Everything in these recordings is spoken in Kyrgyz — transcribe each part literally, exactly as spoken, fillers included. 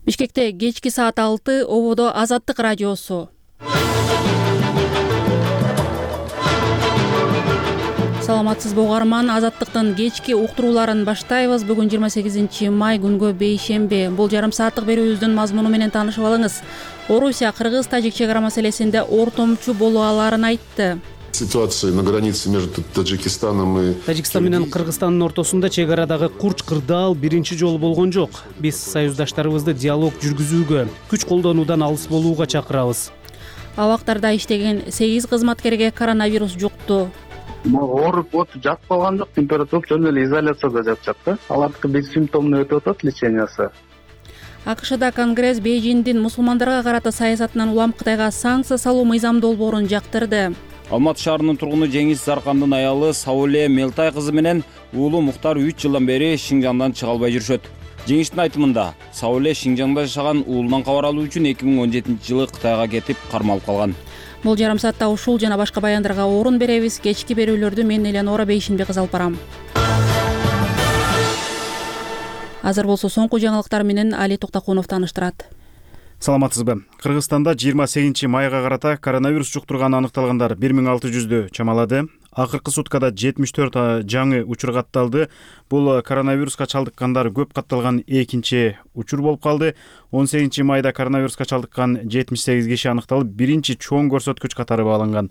Бишкекте кечки саат алты, ободо Азаттык радиосу. Саламатсызбы угарман, Азаттыктын кечки уктурууларын баштайбыз. Бүгүн жыйырма сегизинчи май күнгө бейшемби. Бул жарым сааттык берүүбүздүн мазмуну менен таанышып алыңыз. Орусия Кыргыз Тажик чек ара маселесинде ортомчу боло аларын айтты. Ситуация на границе между Таджикистаном и Тажикстан менен Кыргызстандын ортосунда чек арадагы курч кырдаал биринчи жолу болгон жок. Биз союздаштарыбызды диалог жүргүзүүгө, күч колдонуудан алыс болууга чакырабыз. Абактарда иштеген сегиз кызматкерге коронавирус жукту. Ооруп отуп жатып калган жок, температура жөн эле изоляцияда жатышат да. Алардыкы без симптомный өтүп атат лечениясы. АКШда Конгресс Бейжиңдин мусулмандарга карата саясатынан улам Кытайга санкция салуу мыйзам долбоорун жактырды. Алматы шаарынын тургуну Жеңиз Заркандын аялы Сауле Мелтай кызы менен уулу Муктар үч жылдан бери Шинжаңдан чыга албай жүрүшөт. Жеңиштин айтымында, Сауле Шинжаңда жашаган уулунан кабар алуу үчүн эки миң он жетинчи жылы Кытайга кетип кармалып калган. Бул жарым саатта ушул жана башка баяндарга орун беребиз. Кечки берүүлөрдү мен Эленора Бейшенбек алып барам. Азыр болсо соңку жаңылыктар менен Али Токтокунов тааныштырат. Саламатсызбы. Кыргызстанда жыйырма сегизинчи майга карата коронавирус жуктурганы аныкталгандар бир миң алты жүздү чамалады. Акыркы суткада жетимиш төрт жаңы учур катталды. Бул коронавируска чалдыккандар көп катталган экинчи учур болуп калды. он сегизинчи майда коронавируска чалдыккан жетимиш сегиз киши аныкталып, биринчи чоң көрсөткүч катары бааланган.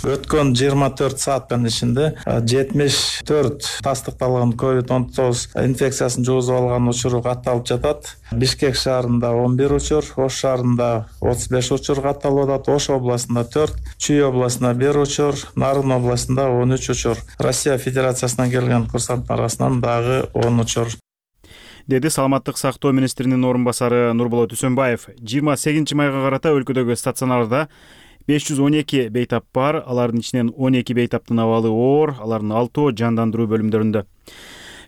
Өткөн жыйырма төрт сааттын ичинде жетимиш төрт тастыкталган ковид он тогуз инфекциясын жугузуп алган учуру катталып жатат. Бишкек шаарында он бир учур, Ош шаарында отуз беш учур катталып атат, Ош областында төрт, Чүй областында бир учур, Нарын областында он үч учур. Россия Федерациясынан келген курсанттар арасынан дагы он учур. Деди Саламаттык сактоо министринин орун басары Нурболот Үсөнбаев. жыйырма сегизинчи майга карата өлкөдөгү стационарда беш жүз он эки бейтап бар, алардын ичинен он эки бейтаптын абалы оор, алардын алтоо жандандыруу бөлүмдөрүндө.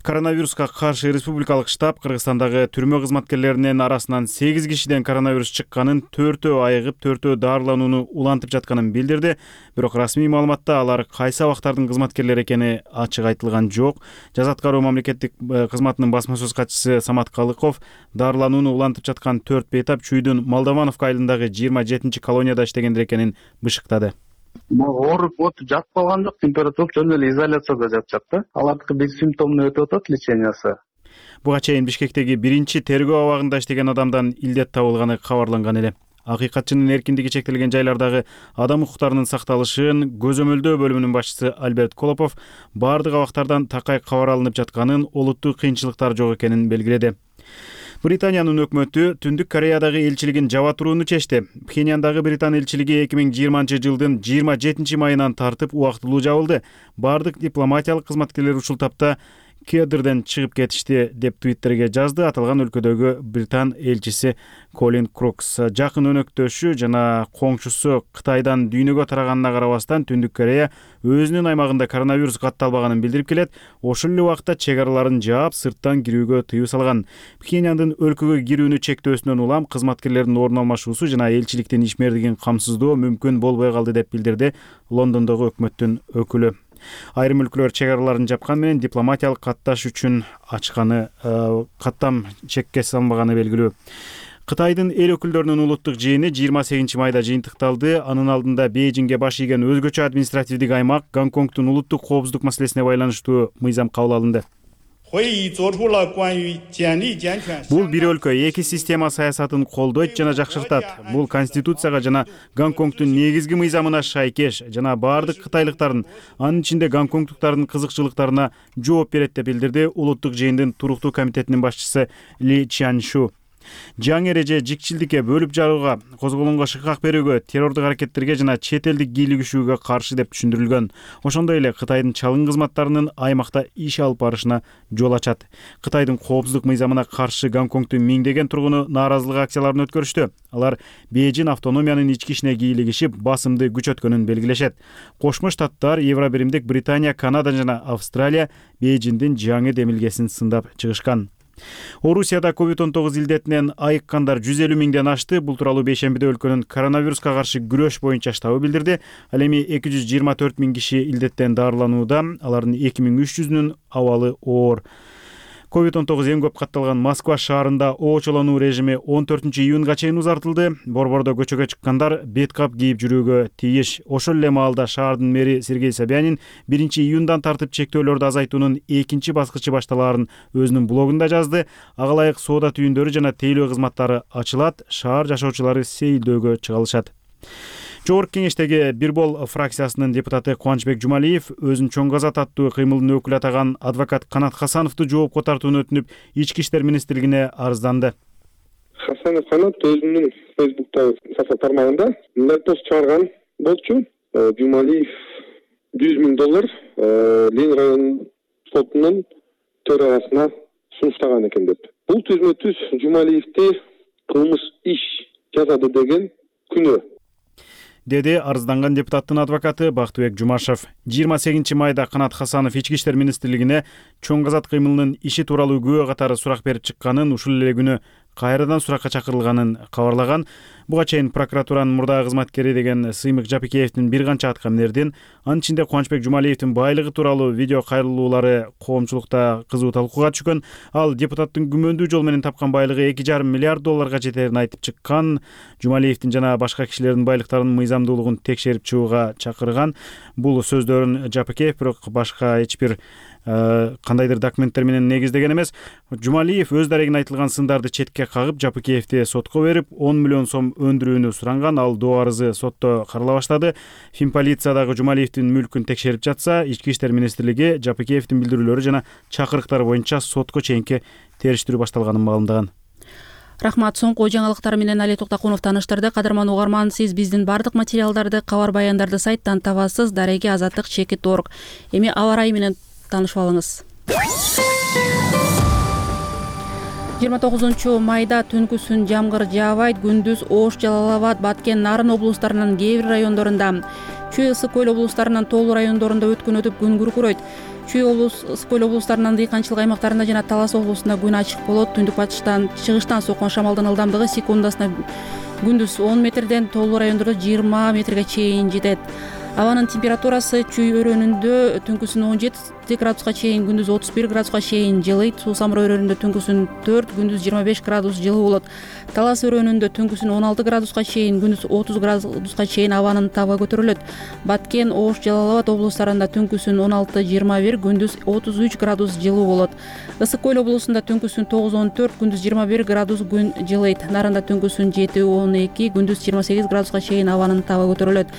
Коронавируска каршы республикалык штаб Кыргызстандагы түрмө кызматкерлеринин арасынан сегиз кишиден коронавирус чыкканын, төртөө айыгып, төртөө дарыланууну улантып жатканын билдирди. Бирок расмий маалыматта алар кайсы абактардын кызматкерлери экени ачык айтылган жок. Жаза аткаруу мамлекеттик кызматынын басма сөз катчысы Самат Калыков дарыланууну улантып жаткан төрт бейтап Чүйдүн Молдовановка айылындагы жыйырма жетинчи колонияда иштегендер экенин бышыктады. Ооруп отуп жатып калган жок, температура жөн эле изоляцияда жатышат да. Алардыкы без симптомный өтүп атат лечениясы. Буга чейин Бишкектеги биринчи тергөө абагында иштеген адамдан илдет табылганы кабарланган эле. Акыйкатчынын эркиндиги чектелген жайлардагы адам укуктарынын сакталышын көзөмөлдөө бөлүмүнүн башчысы Альберт Колопов бардык абактардан такай кабар алынып жатканын, олуттуу кыйынчылыктар жок экенин белгиледи. Британиянын өкмөтү Түндүк Кореядагы элчилигин жаба турууну чечти. Пхеньяндагы Британ элчилиги эки миң жыйырманчы жылдын жыйырма жетинчи майынан тартып убактылуу жабылды. Бардык дипломатиялык кызматкерлер ушул тапта кедрден чыгып кетишти деп твиттерге жазды аталган өлкөдөгү Британ элчиси Колин Крукс. Жакын өнөктөшү жана коңшусу Кытайдан дүйнөгө тараганына карабастан Түндүк Корея өзүнүн аймагында коронавирус катталбаганын билдирип келет. Ошол эле убакта чек араларын жаап, сырттан кирүүгө тыюу салган. Пхеньяндын өлкөгө кирүүнү чектөөсүнөн улам кызматкерлердин орун алмашуусу жана элчиликтин ишмердигин камсыздоо мүмкүн болбой калды деп билдирди Лондондогу өкмөттүн өкүлү. Айрым өлкөлөр чек араларын жапкан менен дипломатиялык катташ үчүн ачканы, каттам чекке салынбаганы белгилүү. Кытайдын эл өкүлдөрүнүн улуттук жыйыны жыйырма сегизинчи майда жыйынтыкталды. Анын алдында Бейжиңге баш ийген өзгөчө административдик аймак Гонконгдун улуттук коопсуздук маселесине байланыштуу мыйзам кабыл алынды. Бул бир өлкө эки система саясатын колдойт жана жакшыртат. Бул конституцияга жана Гонконгдун негизги мыйзамына шайкеш жана бардык кытайлыктардын, анын ичинде гонконгдуктардын кызыкчылыктарына жооп берет деп билдирди улуттук жыйындын туруктуу комитетинин башчысы Ли Чаншу. Жаңы эреже жикчилдикке, бөлүп жарууга, козголоңго шыкак берүүгө, террордук аракеттерге жана чет элдик кийлигишүүгө каршы деп түшүндүрүлгөн. Ошондой эле Кытайдын чалгын кызматтарынын аймакта иш алып барышына жол ачат. Кытайдын коопсуздук мыйзамына каршы Гонконгдун миңдеген тургуну нааразылык акцияларын өткөрүштү. Алар Бейжиң автономиянын ички ишине кийлигишип, басымды күчөткөнүн белгилешет. Кошмо Штаттар, Евробиримдик Британия, Канада жана Австралия Бейжиңдин жаңы демилгесин сындап чыгышкан. Орусияда ковид он тогуз илдетинен айыккандар жүз элүү миңден ашты. Бул тууралуу бейшембиде өлкөнүн коронавируска каршы күрөш боюнча штабы билдирди. Ал эми эки жүз жыйырма төрт миң киши илдеттен дарыланууда. Алардын эки миң үч жүзүнүн абалы оор. ковид он тогуз эң көп катталган Москва шаарында оочолонуу режими он төртүнчү июнга чейин узартылды. Борбордо көчөгө чыккандар бет кап кийип жүрүүгө тийиш. Ошол эле маалда шаардын мэри Сергей Собянин биринчи июндан тартып чектөөлөрдү азайтуунун экинчи баскычы башталаарын өзүнүн блогунда жазды. Ага ылайык соода түйүндөрү жана тейлөө кызматтары ачылат, шаар жашоочулары сейилдөөгө чыга алышат. Жогорку кеңештеги Бирбол фракциясынын депутаты Кубанычбек Жумалиев өзүн чоң казат аттуу кыймылдын өкүлү атаган адвокат Канат Хасановду жоопко тартууну өтүнүп, Ички иштер министрлигине арызданды. Хасанов Канат өзүнүн Фейсбуктагы сафа тармагында мындай пост чыгарган болчу. Жумалиев жүз миң доллар Ленин район сотунун төрагасына сунуштаган экен деп. Бул түзмө түз Жумалиевди кылмыш иш жасады деген күнөө, деди арызданган депутаттын адвокаты Бактыбек Жумашев. жыйырма сегизинчи майда Канат Хасанов Ички иштер министрлигине чоң казат кыймылынын иши тууралуу күбө катары сурак берип чыкканын, ушул эле күнү кайрадан суракка чакырылганын кабарлаган. Буга чейин прокуратуранын мурдагы кызматкери деген Сыймык Жапикеевдин бир канча аткаминердин, анын ичинде Кубанычбек Жумалиевдин байлыгы тууралуу видео кайрылуулары коомчулукта кызуу талкууга түшкөн. Ал депутаттын күмөндүү жол менен тапкан байлыгы эки жарым миллиард долларга жетерин айтып чыккан. Жумалиевдин жана башка кишилердин байлыктарынын мыйзамдуулугун текшерип чыгууга чакырган. Бул сөздөрүн Жапикеев бирок башка эч бир кандайдыр документтер менен негиздеген эмес. Жумалиев өз дарегин айтылган сындарды четке кагып, Жапикеевди сотко берип, он миллион сом өндүрүүнү суранган. Ал доо арызы сотто карала баштады. Финполиция дагы Жумалиевдин мүлкүн текшерип жатса, Ички иштер министрлиги Жапикеевдин билдирүүлөрү жана чакырыктары боюнча сотко чейинки териштирүү башталганын маалымдаган. Рахмат. Соңку жаңылыктар менен Али Токтакунов тааныштырды. Кадырман угарман, сиз биздин бардык материалдарды, кабар баяндарды сайттан табасыз. Дареги азаттык чекит орг. Эми аба ырайы менен таанышып алыңыз. жыйырма тогузунчу майда түнкүсүн жамгыр жаабайт, күндүз Ош, Жалал Абад, Баткен, Нарын облустарынын кээ бир райондорунда, Чүй, Ысык Көл облустарынын тоолуу райондорунда өткөн өтүп күн күркүрөйт. Чүй облус, Ысык Көл облустарынын дыйканчылык аймактарында жана Талас облусунда күн ачык болот. Түндүк батыштан чыгыштан соккон шамалдын ылдамдыгы секундасына күндүз он метрден, тоолуу райондордо жыйырма метрге чейин жетет. Абанын температурасы Чүй өрөөнүндө түнкүсүн он жети градуска чейин, күндүз отуз бир градуска чейин жылыйт. Суу Самыр өрөөнүндө түнкүсүн төрт, күндүз жыйырма беш градус жылуу болот. Талас өрөөнүндө түнкүсүн он алты градуска чейин, күндүз отуз градуска чейин абанын табы көтөрүлөт. Баткен, Ош, Жалал Абад облустарында түнкүсүн он алты жыйырма бир, күндүз отуз үч градус жылуу болот. Ысык Көл облусунда түнкүсүн тогуз он төрт, күндүз жыйырма бир градус күн жылыйт. Нарында түнкүсүн жети он эки, күндүз жыйырма сегиз градуска чейин абанын табы көтөрүлөт.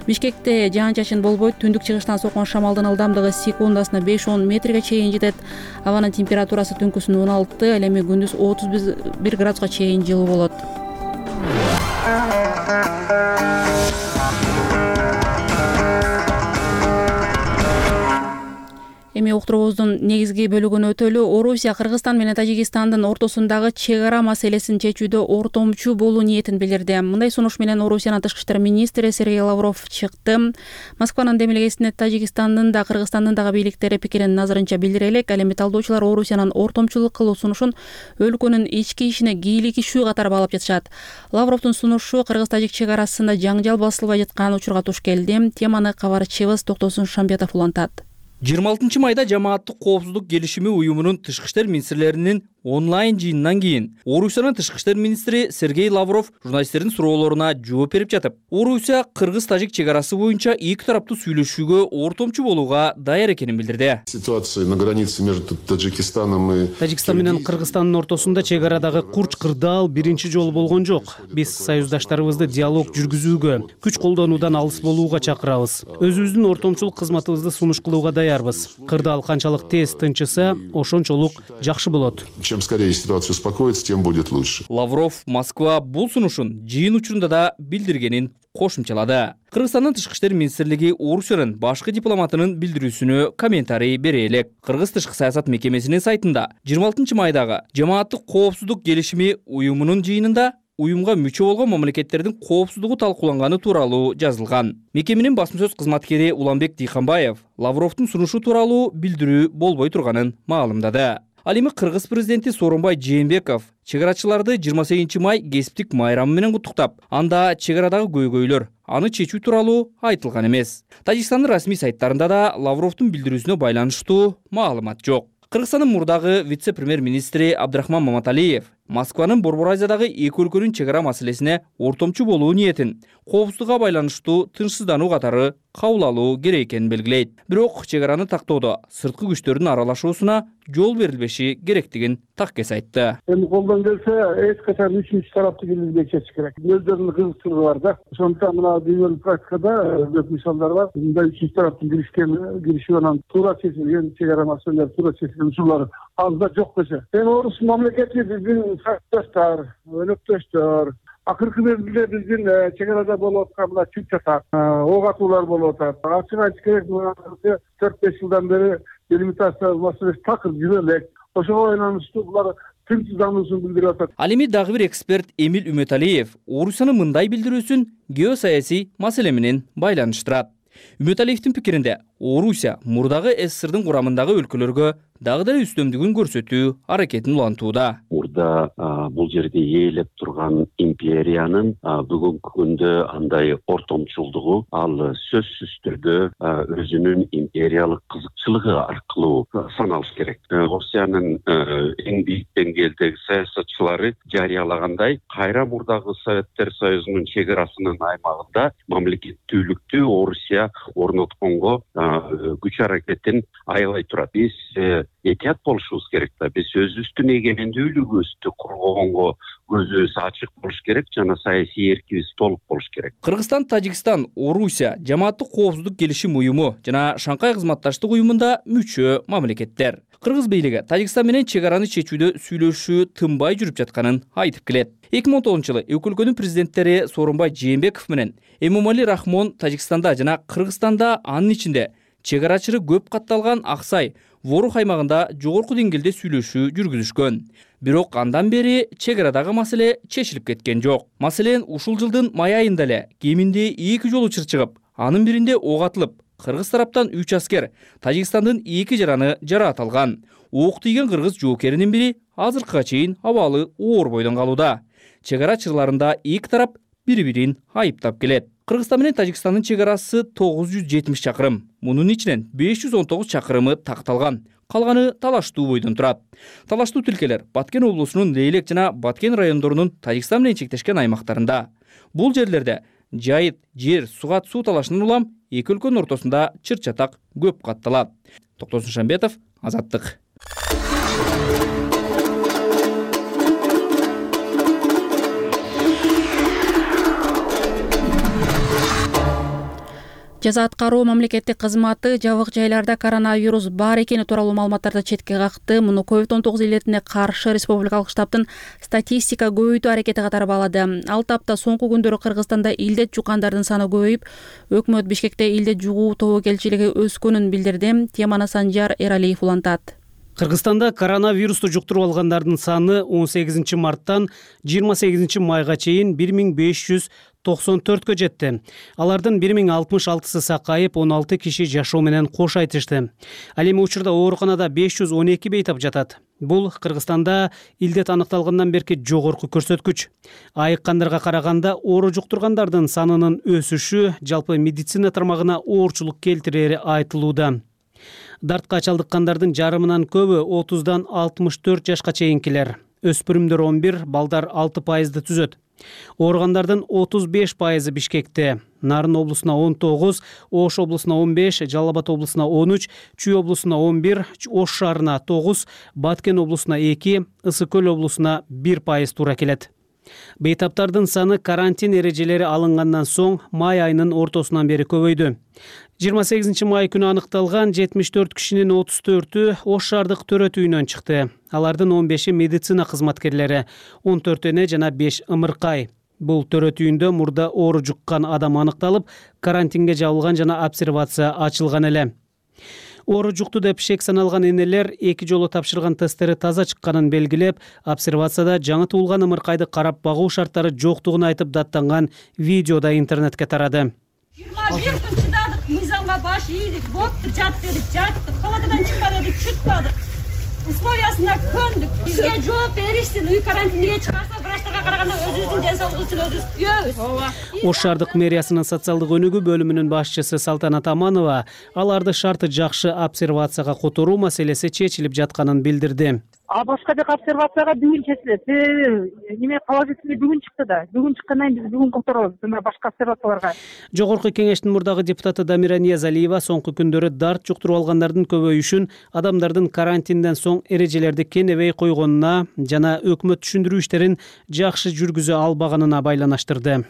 Бишкекте жаан-чачын болбойт. Түндүк чыгыштан соккон шамалдын ылдамдыгы секундасына беш он метрге чейин жетет. Абанын температурасы түнкүсүн он алты, ал эми күндүз отуз бир градуска чейин жылуу болот. Эми уктуруубуздун негизги бөлүгүнө өтөлү. Орусия Кыргызстан менен Тажикстандын ортосундагы чек ара маселесин чечүүдө ортомчу болуу ниетин билдирди. Мындай сунуш менен Орусиянын тышкы иштер министри Сергей Лавров чыкты. Москванын демилгесине Тажикстандын да Кыргызстандын дагы бийликтери пикирин назарынча билдире элек. Ал эми талдоочулар Орусиянын ортомчулук кылуу сунушун өлкөнүн ички ишине кийлигишүү катары баалап жатышат. Лавровдун сунушу кыргыз-тажик чек арасында жаңжал басылбай жаткан учурга туш келди. Теманы кабарчыбыз Токтосун Шамбетов улантат. жыйырма алтынчы майда жамааттык коопсуздук келишими уюмунун тышкы иштер министрлеринин онлайн жыйынынан кийин Орусиянын тышкы иштер министри Сергей Лавров журналисттердин суроолоруна жооп берип жатып, Орусия кыргыз-тажик чек арасы боюнча эки тараптуу сүйлөшүүгө ортомчу болууга даяр экенин билдирди. Ситуация на границе между Таджикистаном и Тажикстан менен Кыргызстандын ортосунда чек арадагы курч кырдаал биринчи жолу болгон жок. Биз союздаштарыбызды диалог жүргүзүүгө, күч колдонуудан алыс болууга чакырабыз. Өзүбүздүн ортомчулук кызматыбызды сунуш кылууга даярбыз. Кырдаал канчалык тез тынчыса, ошончолук жакшы болот. Чем скорее ситуация успокоится, тем будет лучше. Лавров Москва бул сунушун жыйын учурунда да билдиргенин кошумчалады. Кыргызстандын тышкы иштер министрлиги Орусиянын башкы дипломатынын билдирүүсүнө комментарий бере элек. Кыргыз тышкы саясат мекемесинин сайтында жыйырма алтынчы майдагы жамааттык коопсуздук келишими уюмунун жыйынында уюмга мүчө болгон мамлекеттердин коопсуздугу талкууланганы тууралуу жазылган. Мекеменин басма сөз кызматкери Уланбек Дыйканбаев Лавровдун сунушу тууралуу билдирүү болбой турганын маалымдады. Ал эми Кыргыз президенти Сооронбай Жээнбеков чек арачыларды жыйырма сегизинчи май кесиптик майрамы менен куттуктап, анда чек арадагы көйгөйлөр аны чечүү тууралуу айтылган эмес. Тажикстандын расмий сайттарында да Лавровдун билдирүүсүнө байланыштуу маалымат жок. Кыргызстандын мурдагы вице-премьер-министри Абдрахман Маматалиев Москванын Борбор Азиядагы эки өлкөнүн чек ара маселесине ортомчу болуу ниетин коопсуздукка байланыштуу тынчсыздануу катары кабыл алуу керек экенин белгилейт. Бирок чек араны тактоодо сырткы күчтөрдүн аралашуусуна жол берилбеши керектигин таккес айтты. Эми колдон келсе эч качан үчүнчү тарапты киргизбей кетиш керек. Өздөрүнүн кызыкчылыгы бар да. Ошондуктан мына дүйнөлүк практикада көп мисалдар бар. Мындай үчүнчү тараптын киришкен кириши менен туура чечилген чек ара маселелер, туура чечилген учурлар аз да жок десе. Эми орус мамлекети биздин сапташтар, өнөктөштөр. Акыркы мезгилде биздин чек арада болуп аткан мына чүп чатак, ок атуулар болуп атат. Ачык айтыш керек, төрт беш жылдан бери делимитация маселеси такыр жүрө элек. Ошого байланыштуу булар тынчсыздануусун билдирип атат. Ал эми дагы бир эксперт Эмил Үмөталиев Орусиянын мындай билдирүүсүн геосаясий маселе менен байланыштырат. Үмөталиевдин пикиринде, Орусия мурдагы СССРдин курамындагы өлкөлөргө дагы деле үстөмдүгүн көрсөтүү аракетин улантууда. Мурда бул жерде ээлеп турган империянын бүгүнкү күндө андай ортомчулдугу ал сөзсүз түрдө өзүнүн империялык кызыкчылыгы аркылуу саналыш керек. Орусиянын эң бийик деңгээлдеги саясатчылары жарыялагандай, кайра мурдагы Советтер Союзунун чек арасынын аймагында мамлекеттүүлүктү Орусия орнотконго күч аракетин аябай турат. Биз этият болушубуз керек да. Биз өзүбүздүн эгемендүүлүгүбүздү коргогонго көзүбүз ачык болуш керек жана саясий эркибиз толук болуш керек. Кыргызстан, Тажикстан, Орусия жамааттык коопсуздук келишим уюму жана Шанхай кызматташтык уюмунда мүчө мамлекеттер. Кыргыз бийлиги Тажикстан менен чек араны чечүүдө сүйлөшүү тынбай жүрүп жатканын айтып келет. эки миң он тогузунчу жылы эки өлкөнүн президенттери Сооронбай Жээнбеков менен Эмомали Рахмон Тажикстанда жана Кыргызстанда, анын ичинде чек арачылары көп катталган Аксай, Ворух аймагында жогорку деңгээлде сүйлөшүү жүргүзүшкөн. Бирок андан бери чек арадагы маселе чечилип кеткен жок. Маселен, ушул жылдын май айында эле кеминде эки жол учур чыгып, анын биринде ок атылып, кыргыз тараптан үч аскер, Тажикстандын эки жараны жараат алган. Ок тийген кыргыз жоокеринин бири азыркыга чейин абалы оор бойдон калууда. Чек ара чырларында эки тарап бири-бирин айыптап келет. Кыргызстан менен Тажикстандын чек арасы тогуз жүз жетимиш чакырым. Мунун ичинен беш жүз он тогуз чакырымы такталган. Калганы талаштуу бойдон турат. Талаштуу тилкелер Баткен облусунун Лейлек жана Баткен райондорунун Тажикстан менен чектешкен аймактарында. Бул жерлерде жайыт, жер, сугат суу талашынан улам эки өлкөнүн ортосунда чыр-чатак көп катталат. Токтосун Шамбетов, Азаттык. Жаза аткаруу мамлекеттик кызматы жабык жайларда коронавирус бар экени тууралуу маалыматтарды четке какты. Муну ковид он тогуз илетине каршы республикалык штабтын статистика көбөйтүү аракети катары баалады. Алты апта соңку күндөрү Кыргызстанда илдет жуккандардын саны көбөйүп, өкмөт Бишкекте илдет жугуу тобокелчилиги өскөнүн билдирди. Теманы Санжар Эралиев улантат. Кыргызстанда коронавирусту жуктуруп алгандардын саны он сегизинчи марттан жыйырма сегизинчи майга чейин бир миң беш жүз токсон төрткө жетти. Алардын бир миң алтымыш алтысы сакайып, он алты киши жашоо менен кош айтышты. Ал эми учурда ооруканада беш жүз он эки бейтап жатат. Бул Кыргызстанда илдет аныкталгандан берки жогорку көрсөткүч. Айыккандарга караганда оору жуктургандардын санынын өсүшү жалпы медицина тармагына оорчулук келтирери айтылууда. Дартка чалдыккандардын жарымынан көбү отуздан алтымыш төрт жашка чейинкилер. Өспүрүмдөр он бир, балдар алты пайызды түзөт. Ооругандардын отуз беш пайызы Бишкекте. Нарын облусуна он тогуз, Ош облусуна он беш, Жалал Абад облусуна он үч, Чүй облусуна он бир, Ош шаарына тогуз, Баткен облусуна эки, Ысык көл облусуна бир пайыз туура келет. Бейтаптардын саны карантин эрежелери алынгандан соң май айынын ортосунан бери көбөйдү. жыйырма сегизинчи май күнү аныкталган жетимиш төрт кишинин отуз төртү Ош шаардык төрөт үйүнөн чыкты. Алардын он беши медицина кызматкерлери, он төрт эне жана беш ымыркай. Бул төрөт үйүндө мурда оору жуккан адам аныкталып, карантинге жабылган жана обсервация ачылган эле. Оору жукту деп шек саналган энелер эки жолу тапшырган тесттери таза чыкканын белгилеп, обсервацияда жаңы туулган ымыркайды карап багуу шарттары жоктугун айтып даттанган видеода интернетке тарады. жыйырма бир күн чыдадык, мыйзамга баш ийдик, бопту жат дедик, жаттык, палатадан чыкпа дедик, чыкпадык. условиясына көндүк. Бизге жооп беришсин, үй карантиниге чыгарса, врачтарга караганда өзүбүздүн ден үчүн өзүбүз күйөбүз. Ооба. Ош шаардык мэриясынын социалдык өнүгүү бөлүмүнүн башчысы Салтанат Аманова аларды шарты жакшы обсервацияга которуу маселеси чечилип жатканын билдирди. А башка жака обсервацияга бүгүн чечилет. Неме положительный бүгүн чыкты да. Бүгүн чыккандан кийин биз бүгүн которобуз жана башка обсервацияларга. Жогорку кеңештин мурдагы депутаты Дамира Ниязалиева соңку күндөрү дарт жуктуруп алгандардын көбөйүшүн адамдардын карантинден соң эрежелерди кенебей койгонуна жана өкмөт түшүндүрүү иштерин жакшы жүргүзө албаганына байланыштырды.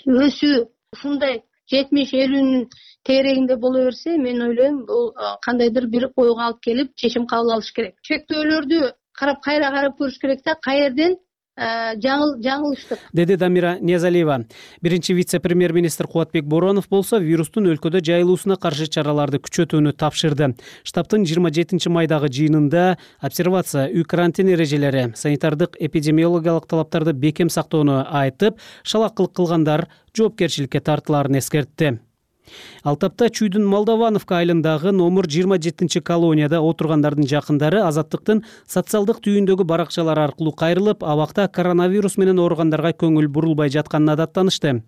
Өсүү ушундай жетимиш элүүнүн тегерегинде боло берсе, мен ойлойм, бул кандайдыр бир ойго алып келип, чечим кабыл алыш керек. Чектөөлөрдү карап кайра карап көрүш керек да, каерден жаңыл жаңылыштык, деди Дамира Ниязалиева. Биринчи вице-премьер-министр Кубатбек Боронов болсо вирустун өлкөдө жайылуусуна каршы чараларды күчөтүүнү тапшырды. Штабтын жыйырма жетинчи майдагы жыйынында обсервация, үй карантин эрежелери, санитардык эпидемиологиялык талаптарды бекем сактоону айтып, шалакылык кылгандар жоопкерчиликке тартылаарын эскертти. Ал тапта Чүйдүн Молдовановка айылындагы номер жыйырма жетинчи колонияда отургандардын жакындары Азаттыктын социалдык түйүндөгү баракчалары аркылуу кайрылып, абакта коронавирус менен ооругандарга көңүл бурулбай жатканына даттанышты.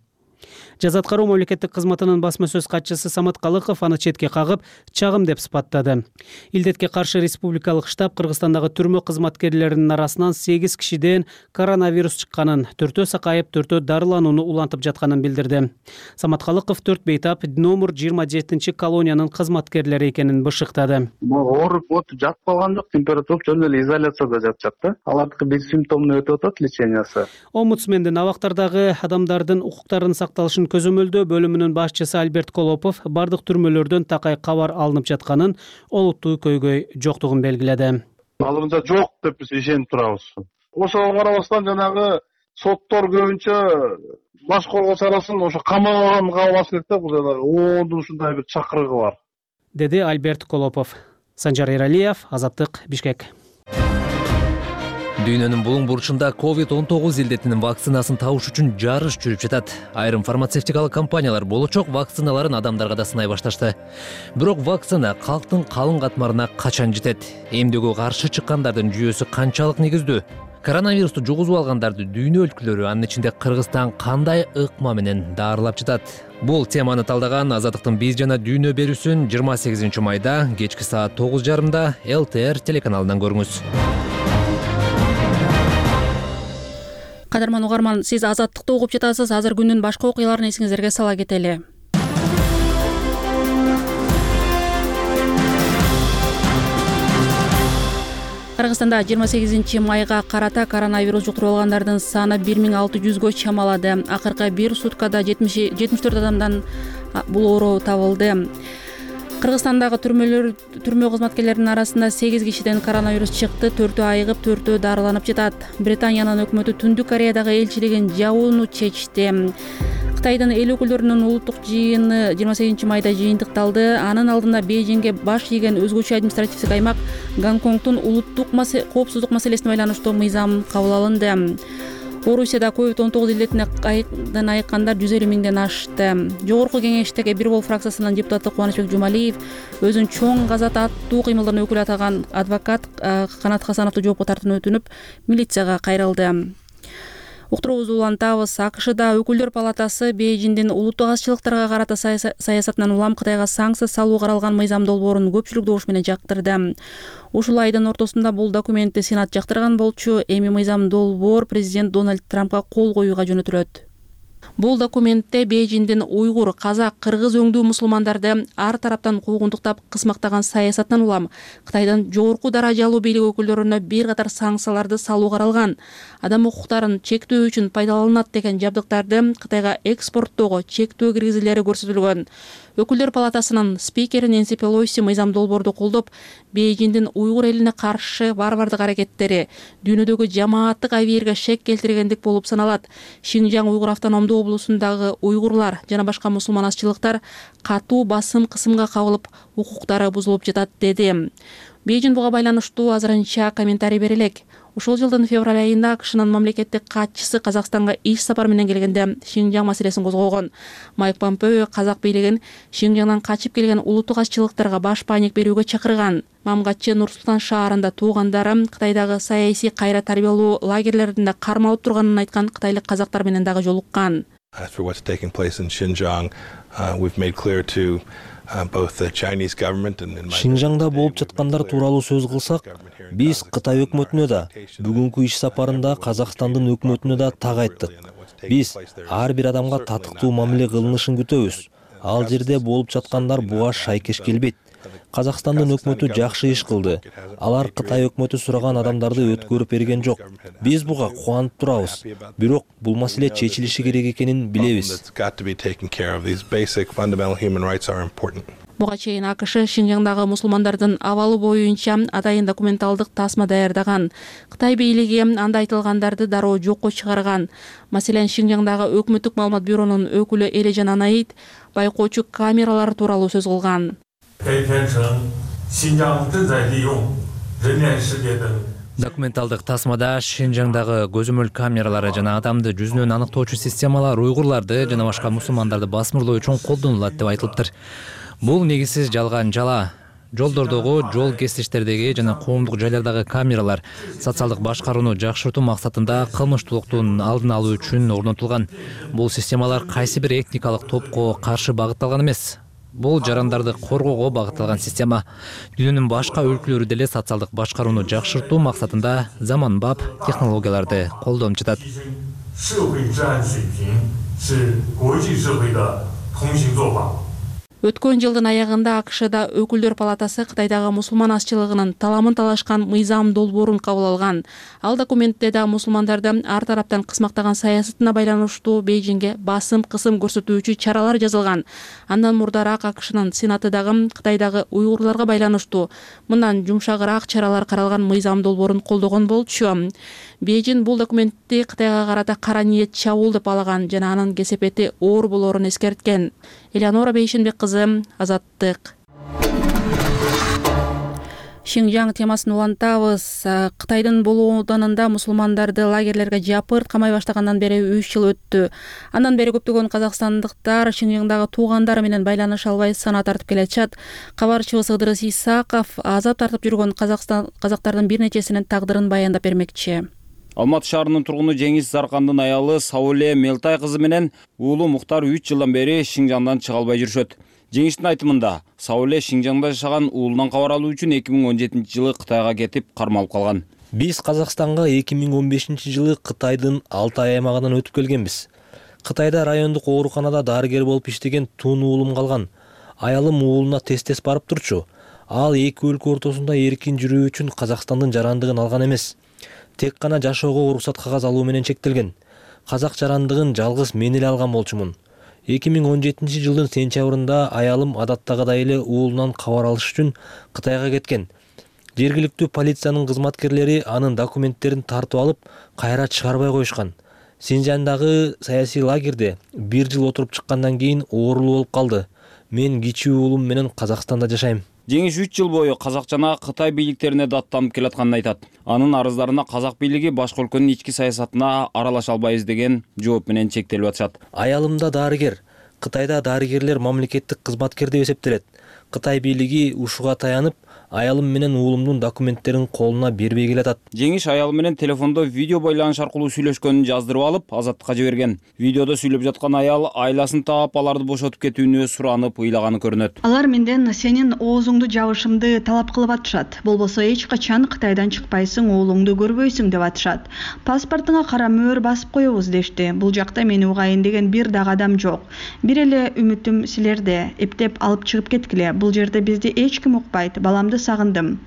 Жаза аткаруу мамлекеттик кызматынын басма сөз катчысы Самат Калыков аны четке кагып, чагым деп сыпаттады. Илдетке каршы республикалык штаб Кыргызстандагы түрмө кызматкерлеринин арасынан сегиз кишиден коронавирус чыкканын, төртөө сакайып, төртөө дарыланууну улантып жатканын билдирди. Самат Калыков төрт бейтап номер жыйырма жетинчи колониянын кызматкерлери экенин бышыктады. Ооруп отуп жатып калган жок, температура жөн эле изоляцияда жатышат да. Алардыкы бессимптомно өтүп атат лечениясы. Омбудсмендин абактардагы адамдардын укуктарынын сакталышын көзөмөлдөө бөлүмүнүн башчысы Альберт Колопов бардык түрмөлөрдөн такай кабар алынып жатканын, олуттуу көйгөй жоктугун белгиледи. Алымда жок деп биз ишенип турабыз. Ошого карабастан жанагы соттор көбүнчө баш коргоос арасын ошо камаганга калбаш керек да, бул оондун ушундай бир чакырыгы бар, деди Альберт Колопов. Санжар Эралиев, Азаттык, Бишкек. Дүйнөнүн булуң бурчунда ковид он тогуз илдетинин вакцинасын табыш үчүн жарыш жүрүп жатат. Айрым фармацевтикалык компаниялар болочок вакциналарын адамдарга да сынай башташты. Бирок вакцина калктын калың катмарына качан жетет? Эмдөөгө каршы чыккандардын жүйөсү канчалык негиздүү? Коронавирусту жугузуп алгандарды дүйнө өлкөлөрү, анын ичинде Кыргызстан кандай ыкма менен даарылап жатат? Бул теманы талдаган Азаттыктын биз жана дүйнө берүүсүн жыйырма сегизинчи майда кечки саат тогуз жарымда эл тэ эр телеканалынан көрүңүз. Кадырман угарман, сиз Азаттыкты угуп жатасыз. Азыр күндүн башка окуяларын эсиңиздерге сала кетели. Кыргызстанда жыйырма сегизинчи майга карата коронавирус жуктуруп алгандардын саны бир миң алты жүзгө чамалады. Акыркы бир суткада жетимиш төрт адамдан бул оору табылды. Кыргызстандагы түрмөлөр түрмө кызматкерлеринин арасында сегиз кишиден коронавирус чыкты, төртөө айыгып, төртөө дарыланып жатат. Британиянын өкмөтү Түндүк Кореядагы элчилигин жабууну чечти. Кытайдын эл өкүлдөрүнүн улуттук жыйыны жыйырма сегизинчи майда жыйынтыкталды. Анын алдында Бейжиңге баш ийген өзгөчө административдик аймак Гонконгдун улуттук коопсуздук маселесине байланыштуу мыйзам кабыл алынды. Орусияда ковид он тогуз илдетине айыккандар жүз элүү миңден ашты. Жогорку кеңештеги Бир Бол фракциясынын депутаты Кубанычбек Жумалиев өзүн чоң казат аттуу кыймылдын өкүлү атаган адвокат Канат Хасановду жоопко тартууну өтүнүп, милицияга кайрылды. Уктуруубузду улантабыз. АКШда өкүлдөр палатасы Бейжиңдин улуттук азчылыктарга карата саясатынан улам Кытайга санкция салуу каралган мыйзам долбоорун көпчүлүк добуш менен жактырды. Ушул айдын ортосунда бул документти Сенат жактырган болчу. Эми мыйзам долбоор президент Дональд Трампка кол коюуга жөнөтүлөт. Бул документте Бейжиңдин уйгур, казак, кыргыз өңдүү мусулмандарды ар тараптан куугунтуктап кысмактаган саясатынан улам Кытайдын жогорку даражалуу бийлик өкүлдөрүнө бир катар санкцияларды салуу каралган. Адам укуктарын чектөө үчүн пайдаланат деген жабдыктарды Кытайга экспорттоого чектөө киргизүүлөрү көрсөтүлгөн. Өкүлдөр палатасынын спикери Нэнси Пелоси мыйзам долбоорду колдоп, Бейжиңдин уйгур элине каршы варвардык аракеттери дүйнөдөгү жамааттык абийирге шек келтиргендик болуп саналат. Шинжаң уйгур автономдуу облусундагы уйгурлар жана башка мусулман азчылыктар катуу басым кысымга кабылып, укуктары бузулуп жатат деди. Бейжиң буга байланыштуу азырынча комментарий бере элек. Ушул жылдын февраль айында АКШнын мамлекеттик катчысы Казакстанга иш сапар менен келгенде Шинжаң маселесин козгогон. Майк Помпео казак бийлигин Шинжаңдан качып келген улуттук азчылыктарга баш паник берүүгө чакырган. Мамгатчы Нур-Султан шаарында туугандары Кытайдагы саясий кайра тарбиялоо лагерлеринде кармалып турганын айткан кытайлык казактар менен дагы жолуккан. As for what's taking place in Xinjiang, uh, we've made clear to uh, both the Chinese government and Шинжаңда болуп жаткандар тууралуу сөз кылсак, биз Кытай өкмөтүнө да, бүгүнкү иш сапарында Казакстандын өкмөтүнө да так айттык. Биз ар бир адамга татыктуу мамиле кылынышын күтөбүз. Ал жерде болуп жаткандар буга шайкеш келбейт. Казакстандын өкмөтү жакшы иш кылды. Алар Кытай өкмөтү сураган адамдарды өткөрүп берген жок. Биз буга кубанып турабыз. Бирок бул маселе чечилиши керек экенин билебиз. Буга чейин АКШ Шинжаңдагы мусулмандардын абалы боюнча атайын документалдык тасма даярдаган. Кытай бийлиги анда айтылгандарды дароо жокко чыгарган. Маселен, Шинжаңдагы өкмөттүк маалымат бюронун өкүлү Элежан Анаид байкоочу камералар тууралуу сөз кылган. Документалдык тасмада Шинжаңдагы көзөмөл камералары жана адамды жүзүнөн аныктоочу системалар уйгурларды жана башка мусулмандарды басмырлоо үчүн колдонулат деп айтылыптыр. Бул негизсиз жалган жала. Жолдордогу, жол кесиштердеги жана коомдук жайлардагы камералар социалдык башкарууну жакшыртуу максатында кылмыштуулуктун алдын алуу үчүн орнотулган. Бул системалар кайсы бир этникалык топко каршы багытталган эмес. Бул жарандарды коргоого багытталган система. Дүйнөнүн башка өлкөлөрү деле социалдык башкарууну жакшыртуу максатында заманбап технологияларды колдонуп жатат. Өткөн жылдын аягында АКШда өкүлдөр палатасы Кытайдагы мусулман азчылыгынын таламын талашкан мыйзам долбоорун кабыл алган. Ал документте да мусулмандарды ар тараптан кысмактаган саясатына байланыштуу Бейжиңге басым кысым көрсөтүүчү чаралар жазылган. Андан мурдараак АКШнын Сенаты дагы Кытайдагы уйгурларга байланыштуу мындан жумшагыраак чаралар каралган мыйзам долбоорун колдогон болчу. Бейжиң бул документти Кытайга карата кара ниет чабуул деп алаган жана анын кесепети оор болоорун эскерткен. Элеонора Бейшенбек кызы, Азаттык. Шинжаң темасын улантабыз. Кытайдын Болу ауданында мусулмандарды лагерлерге жапырт камай баштагандан бери үч жыл өттү. Андан бери көптөгөн казакстандыктар Шинжаңдагы туугандары менен байланыша албай сана тартып келатышат. Кабарчыбыз Ыдырыс Исаков азап тартып жүргөн Казакстан казактардын бир нечесинин тагдырын баяндап бермекчи. Алматы шаарынын тургуну Жеңис Заркандын аялы Сауле Мелтай кызы менен уулу Муктар үч жылдан бери Шинжаңдан чыга албай жүрүшөт. Жеңиштин айтымында, Сауле Шинжаңда жашаган уулунан кабар алуу үчүн эки миң он жетинчи жылы Кытайга кетип кармалып калган. Биз Казакстанга эки миң он бешинчи жылы Кытайдын Алтай аймагынан өтүп келгенбиз. Кытайда райондук ооруканада дарыгер болуп иштеген тун уулум калган. Аялым уулуна тез-тез барып турчу. Ал эки өлкө ортосунда эркин жүрүү үчүн Казакстандын жарандыгын алган эмес. Тек гана жашоого уруксат кагаз алуу менен чектелген. Казак жарандыгын жалгыз мен эле алган болчумун. эки миң он жетинчи жылдын сентябрында аялым адаттагыдай эле уулунан кабар алыш үчүн Кытайга кеткен. Жергиликтүү полициянын кызматкерлери анын документтерин тартып алып, кайра чыгарбай коюшкан. Шинжаңдагы саясий лагерде бир жыл отуруп чыккандан кийин оорулуу болуп калды. Мен кичүү уулум менен Казакстанда жашайм. Жеңиш үч жыл бою казак жана Кытай бийликтерине даттанып келатканын айтат. Анын арыздарына казак бийлиги башка өлкөнүн ички саясатына аралаша албайбыз деген жооп менен чектелип атышат. Аялымда дарыгер. Кытайда дарыгерлер мамлекеттик кызматкер деп эсептелет. Кытай бийлиги ушуга таянып, аялым менен уулумдун документтерин колуна бербей келатат. Жеңиш аялы менен телефондо видео байланыш аркылуу сүйлөшкөнүн жаздырып алып, Азаттыкка жиберген. Видеодо сүйлөп жаткан аял айласын таап, аларды бошотуп кетүүнү суранып ыйлаганы көрүнөт. Алар менден сенин оозуңду жабышымды талап кылып атышат. Болбосо эч качан Кытайдан чыкпайсың, уулуңду көрбөйсүң деп атышат. Паспортуңа кара мөөр басып коебуз дешти. Бул жакта мени угайын деген бир дагы адам жок. Бир эле үмүтүм силерде. Эптеп алып чыгып кеткиле. Бул жерде бизди эч ким укпайт. Баламды сагындым.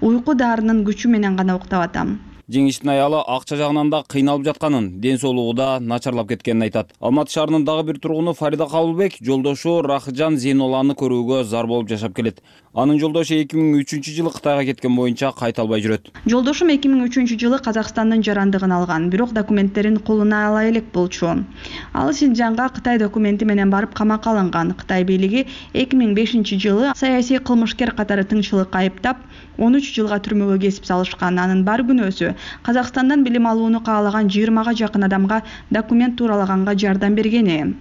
Уйку дарынын күчү менен гана уктап атам. Жеңиштин аялы акча жагынан да кыйналып жатканын, ден соолугу да начарлап кеткенин айтат. Алматы шаарынын дагы бир тургуну Фарида Кабылбек жолдошу Рахыжан Зейнолланы көрүүгө зар болуп жашап келет. Анын жолдошу эки миң үчүнчү жылы Кытайга кеткен боюнча кайта албай жүрөт. Жолдошум эки миң үчүнчү жылы Казакстандын жарандыгын алган, бирок документтерин колуна ала элек болчу. Ал Шинжаңга Кытай документи менен барып камакка алынган. Кытай бийлиги эки миң бешинчи жылы саясий кылмышкер катары тыңчылыкка айыптап, он үч жылга түрмөгө кесип салышкан. Анын бар күнөөсү Казакстандан билим алууну каалаган жыйырмага жакын адамга документ тууралаганга жардам бергени.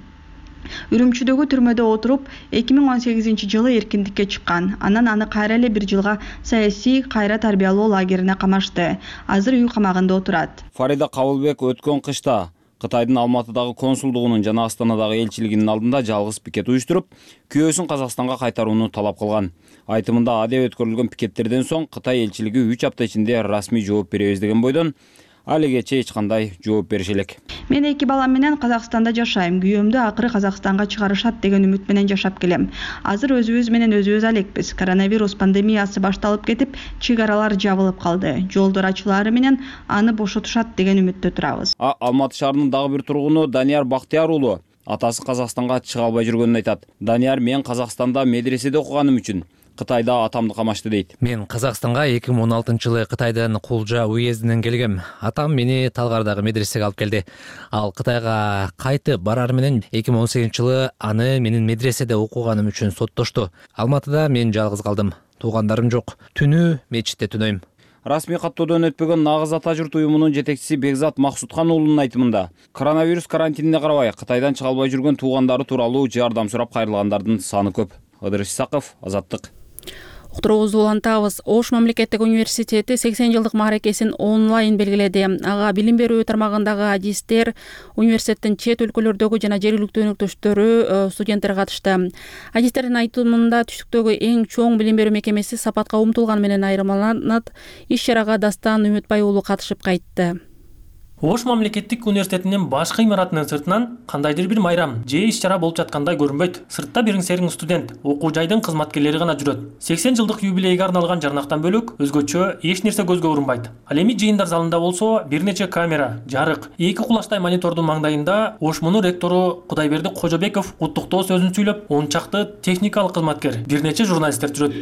Үрүмчүдөгү түрмөдө отуруп эки миң он сегизинчи жылы эркиндикке чыккан. Анан аны кайра эле бир жылга саясий кайра тарбиялоо лагерине камашты. Азыр үй камагында отурат. Фарида Кабылбек өткөн кышта Кытайдын Алматыдагы консулдугунун жана Астанадагы элчилигинин алдында жалгыз пикет уюштуруп, күйөөсүн Казакстанга кайтарууну талап кылган. Айтымында адеп өткөрүлгөн пикеттерден соң Кытай элчилиги үч апта ичинде расмий жооп беребиз деген бойдон алегече эч кандай жооп бериши элек. Мен эки балам менен Казакстанда жашайм. Күйөөмдү акыры Казакстанга чыгарышат деген үмүт менен жашап келем. Азыр өзүбүз менен өзүбүз алекпиз. Коронавирус пандемиясы башталып кетип, чек аралар жабылып калды. Жолдор ачылаары менен аны бошотушат деген үмүттө турабыз. А Алматы шаарынын дагы бир тургуну Данияр Бактияр уулу атасы Казакстанга чыга албай жүргөнүн айтат. Данияр: мен Казакстанда медреседе окуганым үчүн Кытайда атамды камашты дейт. Мен Казакстанга эки миң он алтынчы жылы Кытайдын Кулжа уездинен келгем. Атам мени Талгардагы медресеге алып келди. Ал Кытайга кайтып барар менен эки миң он сегизинчи жылы аны менин медреседе окуганым үчүн соттошту. Алматыда мен жалгыз калдым. Туугандарым жок. Түнү мечитте түнөйм. Расмий каттоодон өтпөгөн Нагыз ата журт уюмунун жетекчиси Бекзат Максуткан уулунун айтымында, коронавирус карантинине карабай Кытайдан чыга албай жүргөн туугандары тууралуу жардам сурап кайрылгандардын саны көп. Ыдыр Исаков, Азаттык. Уктуруубузду улантабыз. Ош мамлекеттик университети сексен жылдык мааракесин онлайн белгиледи. Ага билим берүү тармагындагы адистер, университеттин чет өлкөлөрдөгү жана жергиликтүү өнөктөштөрү, студенттер катышты. Адистердин айтымында түштүктөгү эң чоң билим берүү мекемеси сапатка умтулган менен айырмаланат. Иш-чарага Дастан Үмүтбай уулу катышып кайтты. Ош мамлекеттик университетинин башкы имаратынын сыртынан кандайдыр бир майрам же иш-чара болуп жаткандай көрүнбөйт. Сыртта бириң сериң студент, окуу жайдын кызматкерлери гана жүрөт. сексен жылдык юбилейге арналган жарнактан бөлөк өзгөчө эч нерсе көзгө урунбайт. Ал эми жыйындар залында болсо бир нече камера, жарык, эки кулачтай монитордун маңдайында Ошмунун ректору Кудайберди Кожобеков куттуктоо сөзүн сүйлөп, он чакты техникалык кызматкер, бир нече журналисттер жүрөт.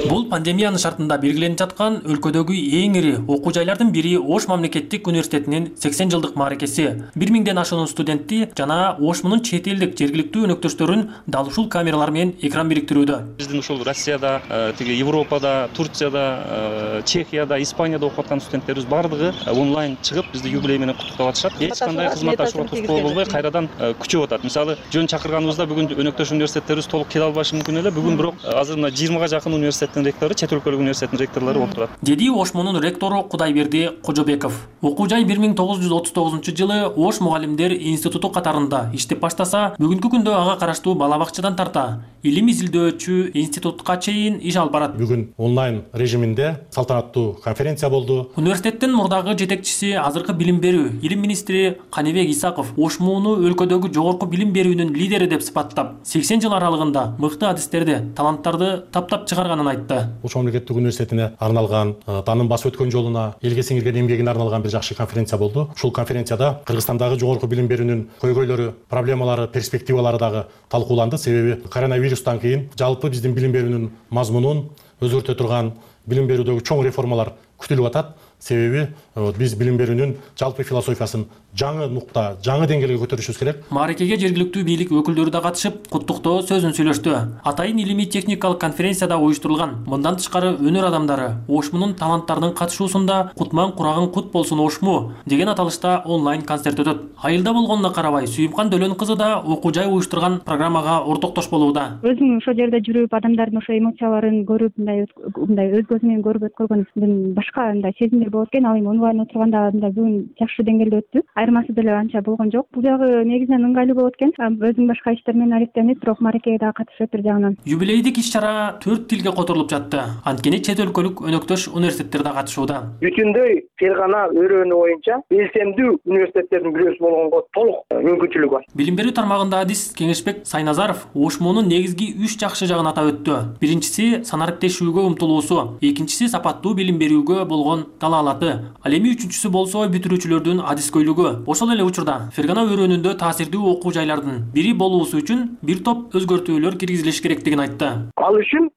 Бул пандемиянын шартында белгиленип жаткан өлкөдөгү эң ири окуу жайлардын бири Ош мамлекеттик университетинин сексен жылдык мааракеси. бир миңден ашуун студентти жана Ошмунун чет элдик жергиликтүү өнөктөштөрүн дал ушул камералар менен экран бириктирүүдө. Биздин ушул Россияда, тиги Европада, Турцияда, Чехияда, Испанияда окуп аткан студенттерибиз бардыгы онлайн чыгып бизди юбилей менен куттуктап атышат. Эч кандай кызматташууга тоскоол болбой кайрадан күчөп атат. Мисалы, жөн чакырганыбызда бүгүн өнөктөш университеттерибиз толук келе албашы мүмкүн эле. Бүгүн бирок азыр мына жыйырмага жакын университеттин ректору, чет өлкөлүк университеттин ректорлору отурат. Деди Ошмунун ректору Кудайберди Кожобеков. Окуу жай бир миң тогуз жүз отуз тогузунчу жылы Ош мугалимдер институту катарында иштеп баштаса, бүгүнкү күндө ага караштуу бала бакчадан тарта илим изилдөөчү институтка чейин иш алып барат. Бүгүн онлайн режиминде салтанаттуу конференция болду. Университеттин мурдагы жетекчиси, азыркы билим берүү илим министри Каныбек Исаков Ошмуну өлкөдөгү жогорку билим берүүнүн лидери деп сыпаттап, сексен жыл аралыгында мыкты адистерди, таланттарды таптап чыгарганын айтты. Ош мамлекеттик университетине арналган, таанын басып өткөн жолуна, элге сиңирген эмгегине арналган бир жакшы конференция болду. Ушул конференцияда Кыргызстандагы жогорку билим берүүнүн көйгөйлөрү, проблемалары, перспективалары дагы талкууланды. Себеби коронавирустан кийин жалпы биздин билим берүүнүн мазмунун өзгөртө турган билим берүүдөгү чоң реформалар күтүлүп атат. Себеби биз билим берүүнүн жалпы философиясын жаңы нукта, жаңы деңгээлге көтөрүшүбүз керек. Мааракеге жергиликтүү бийлик өкүлдөрү да катышып, куттуктоо сөзүн сүйлөштү. Атайын илимий техникалык конференцияда уюштурулган. Мындан тышкары өнөр адамдары Ошмунун таланттарынын катышуусунда Кутман курагың кут болсун Ошму деген аталышта онлайн концерт өтөт. Айылда болгонуна карабай, Сүйүмкан Дөлөн кызы да окуу жай уюштурган программага ортоктош болууда. Өзүм ошол жерде жүрүп, адамдардын ошо эмоцияларын көрүп, мындай мындай өз көзүм менен көрүп өткөргөндөн башка мындай сезимдер болот экен. Ал эми онлайн отурганда мындай бүгүн жакшы деңгээлде өттү. Айырмасы деле анча болгон жок. Бул жагы негизинен ыңгайлуу болот экен. Өзүм башка иштер менен алектенип, бирок мааракеге дагы катышып бир жагынан. Юбилейдик иш-чара төрт тилге которулуп жатты. Анткени чет өлкөлүк өнөктөш университеттер да катышууда. Бүтүндөй Фергана өрөөнү боюнча белсемдүү университеттердин бирөөсү болгонго толук мүмкүнчүлүк бар. Билим берүү тармагында адис Кеңешбек Сайназаров Ошмунун негизги үч жакшы жагын атап өттү. Биринчиси санариптешүүгө умтулуусу, экинчиси сапаттуу билим берүүгө болгон талаалаты, ал эми үчүнчүсү болсо бүтүрүүчүлөрдүн адискөйлүгү. Ошол эле учурда Фергана өрөөнүндө таасирдүү окуу жайлардын бири болуусу үчүн бир топ өзгөртүүлөр киргизилиш керектигин айтты. Ал үчүн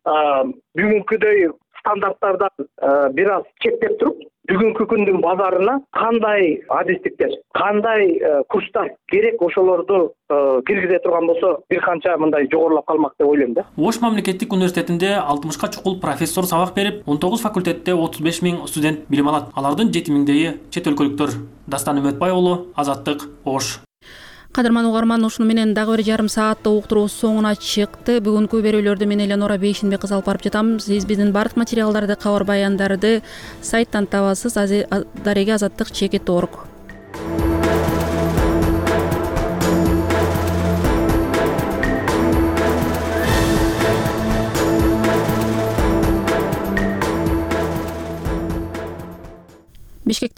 бүгүнкүдөй стандарттардан бир аз чектеп туруп бүгүнкү күндүн базарына кандай адистиктер, кандай курстар керек ошолорду киргизе турган болсо бир канча мындай жогорулап калмак деп ойлойм да. Ош мамлекеттик университетинде алтымышка чукул профессор сабак берип, он тогуз факультетте отуз беш миң студент билим алат. Алардын жети миңдейи чет өлкөлүктөр. Дастан Үмөтбай уулу, Азаттык, Ош. Кадырман угарман, ушуну менен дагы бир жарым сааттык уктуруубуз соңуна чыкты. Бүгүнкү берүүлөрдү мен Эленора Бейшенбек кызы алып барып жатам. Сиз биздин бардык материалдарды, кабар баяндарды сайттан табасыз. Дареге азаттык чекит точка орг. Бишкекте